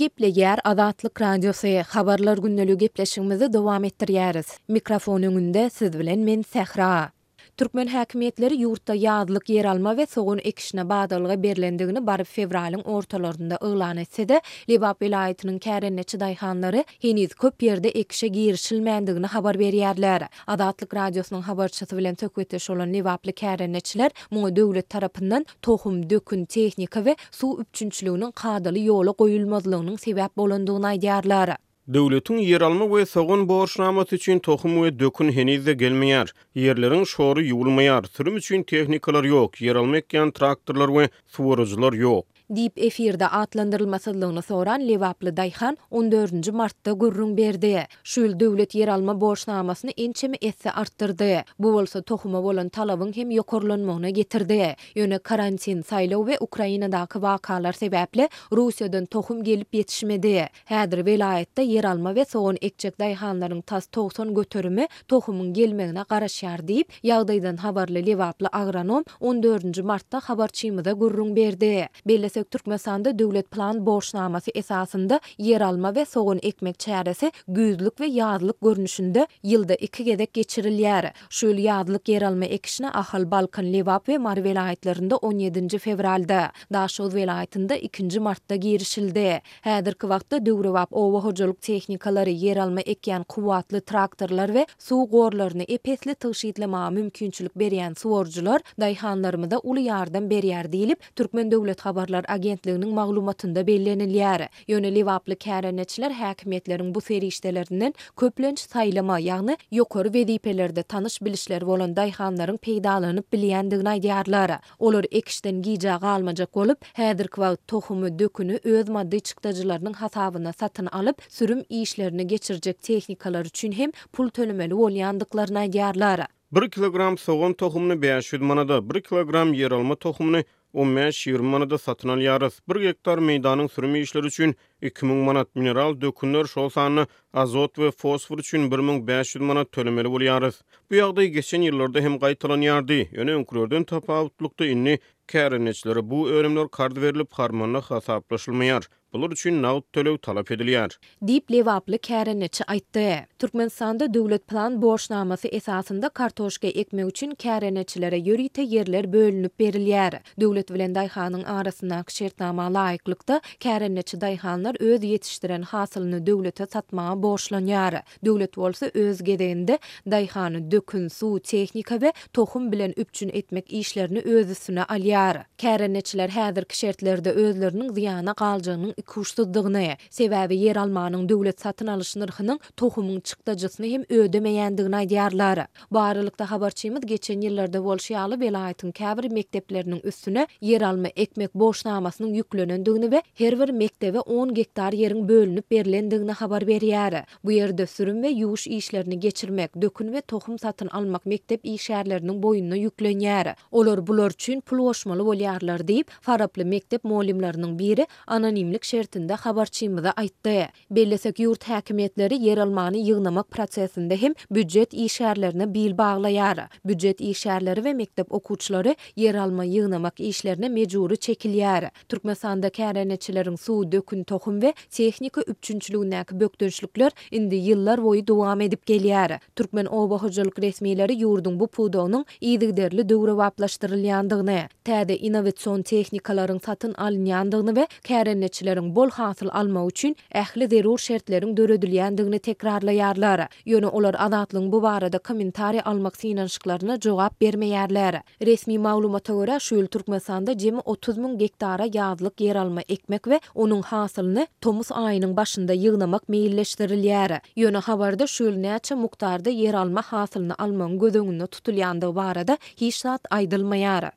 Gepleýär Azatlyk Radiosy, Habarlar gündeligi gepleşigimizi dowam etdirýäris. Mikrofon öňünde siz bilen men Sähra. Türkmen häkimiýetleri ýurtda ýazlyk ýeralma we sogan ekişine badalga berlendigini baryp fewralyň ortalarynda yglan etse-de, Lebap welaýatynyň kärendeçi daýhanlary heniz köp ýerde ekişe girişilmändigini habar berýärler. Azatlyk Radiosynyň habarçysy bilen söhbetdeş bolan lebaply kärendeçiler muňa döwlet tarapyndan tohum, dökün, tehnika we suw üpjünçiliginiň kadaly ýola goýulmazlygynyň sebäp bolandygyny aýdýarlar. Döwletiň ýeralma we sogan borçnamasy üçin tohum we dökün heniz-de gelmeýär. Ýerleriň şory ýuwulmaýar. Sürüm üçin tehnikalar ýok, ýeralma ekýän traktorlar we suwaryjylar ýok. Diýip, efirde atlandyrylmasyzlygyny soran lebaply daýhan on dördünji martda gürrüň berdi. Şu ýyl döwlet ýeralma borçnamasyny ençeme esse artdyrdy. Bu bolsa tohuma bolan talabyň hem ýokarlanmagyna getirdi. Ýöne karantin, saýlaw we Ukrainadaky wakalar sebäpli Russiýadan tohum gelip ýetişmedi. Häzir welaýatda ýeralma we sogan ekjek daýhanlaryň tas 90 göterimi tohumyň gelmegine garaşýar diýip, ýagdaýdan habarly lebaply agronom on dördünji martda habarçymyza gürrüň berdi. Bellesek, Türkmenistanda döwlet plan borçnamasy esasynda ýeralma we sogan ekmek çäresi güýzlük we ýazlyk görnüşinde ýylda iki gezek geçirilýär. Şu ýyl ýazlyk ýeralma ekişine Ahal, Balkan, Lebap we Mary welaýatlarynda on ýedinji fewralda, Daşoguz welaýatynda ikinji martda girişildi. Häzirki wagtda döwrebap oba hojalyk tehnikalary, ýeralma ekýän kuwwatly traktorlar we suw gorlaryny ep-esli tygşytlamaga mümkinçilik berýän suwaryjylar daýhanlarymyza uly ýardam berýär diýlip, Türkmen döwlet habarlar agentliginiň maglumatynda bellenilýär. Ýöne lebaply kärendeçiler häkimiýetleriň bu serişdelerinden köplenç saýlama, ýagny ýokary wezipelerde tanyş-bilişleri bolan daýhanlaryň peýdalanyp bilýändigini aýdýarlar. Olar ekişden gijä galmajak bolup, häzirki wagt tohumy, döküni öz maddy çykdajylarynyň hasabyna satyn alyp, sürüm işlerini geçirjek tehnikalar üçin hem pul tölemeli bolýandyklaryny aýdýarlar. Bir kilogram sogan tohumyny 500 manada, bir kilogram ýeralma tohumyny on bäş-ýigrimi manada satyn alýarys. Bir gektar meýdanyň sürüm işleri üçin 2000 manat, mineral dökünler, şol sanda azot we fosfor üçin 1500 manat tölemeli bolýarys. Bu ýagdaý geçen ýyllarda hem gaýtalanýardy, ýöne öňkülerden tapawutlykda indi kärendeçilere bu önümler karz berlip, harmanda hasaplaşylmaýar. Bular üçin nagt töleg talap edilýär. Diýip, lebaply kärendeçi aýtdy. Türkmenistanda döwlet plan borçnamasy esasynda kartoşka ekmek üçin kärendeçilere ýörite ýerler bölünip berilýär. Döwlet bilen daýhanyň arasyndaky şertnama laýyklykda, kärendeçi daýhanlar öz ýetişdiren hasylyny döwlete satmaga borçlanýar. Döwlet bolsa öz gezeginde daýhany dökün, suw, tehnika we tohum bilen üpjün etmek işlerini öz üstüne alýar. Kärendeçiler häzirki şertlerde özleriniň zyýana galjagynyň ikuçsuzdygyny, sebäbi ýeralmanyň döwlet satyn alyş nyrhynyň tohumyň çykdajysyny hem ödemeýändigini aýdýarlar. Bu aralykda, habarçymyz geçen ýyllarda bolşy ýaly welaýatyň käbir mekdepleriniň üstüne ýeralma ekmek borçnamasynyň ýüklenendigini we her bir mekdebe on gektar ýeriň bölünip berlendigini habar berýär. Bu ýerde sürüm we ýuwuş işlerini geçirmek, dökün we tohum satyn almak mekdep işgärleriniň boýnuna ýüklenýär. Olar bular üçin pul goşmaly bolýarlar diýip, faraply mekdep mugallymlarynyň biri anonimlik şertinde habarçymyza aýtdy. Bellesek, ýurt häkimiýetleri ýeralmany ýygnamak prosesinde hem býujet işgärlerine bil baglaýar. Býujet işgärleri we mekdep okuwçylary ýeralma ýygnamak işlerine mejbury çekilýär. Türkmenistanda kärendeçileriň suw, dökün, tohum we tehnika üpjünçiligindäki bökdençlikler indi ýyllar boýy dowam edip gelýär. Türkmen oba hojalyk resmileri ýurduň bu pudagynyň yzygiderli döwrebaplaşdyrylýandygyny, täze innowasion tehnikalaryň satyn alynýandygyny we kärendeçileriň bol hasyl almagy üçin ähli zerur şertleriň döredilýändigini tekrarlaýarlar. Ýöne olar Azatlygyň bu barada kommentariý almak synanyşyklaryna jogap bermeýärler. Resmi maglumata görä, şu ýyl Türkmenistanda jemi 30 müň gektara ýazlyk ýeralma ekmek we onuň hasylyny tomus aýynyň başynda ýygnamak meýilleşdirilýär. Ýöne habarda şu ýyl näçe mukdarda ýeralma hasylyny almagyň göz öňünde tutulýandygy barada hiç zat aýdylmaýar.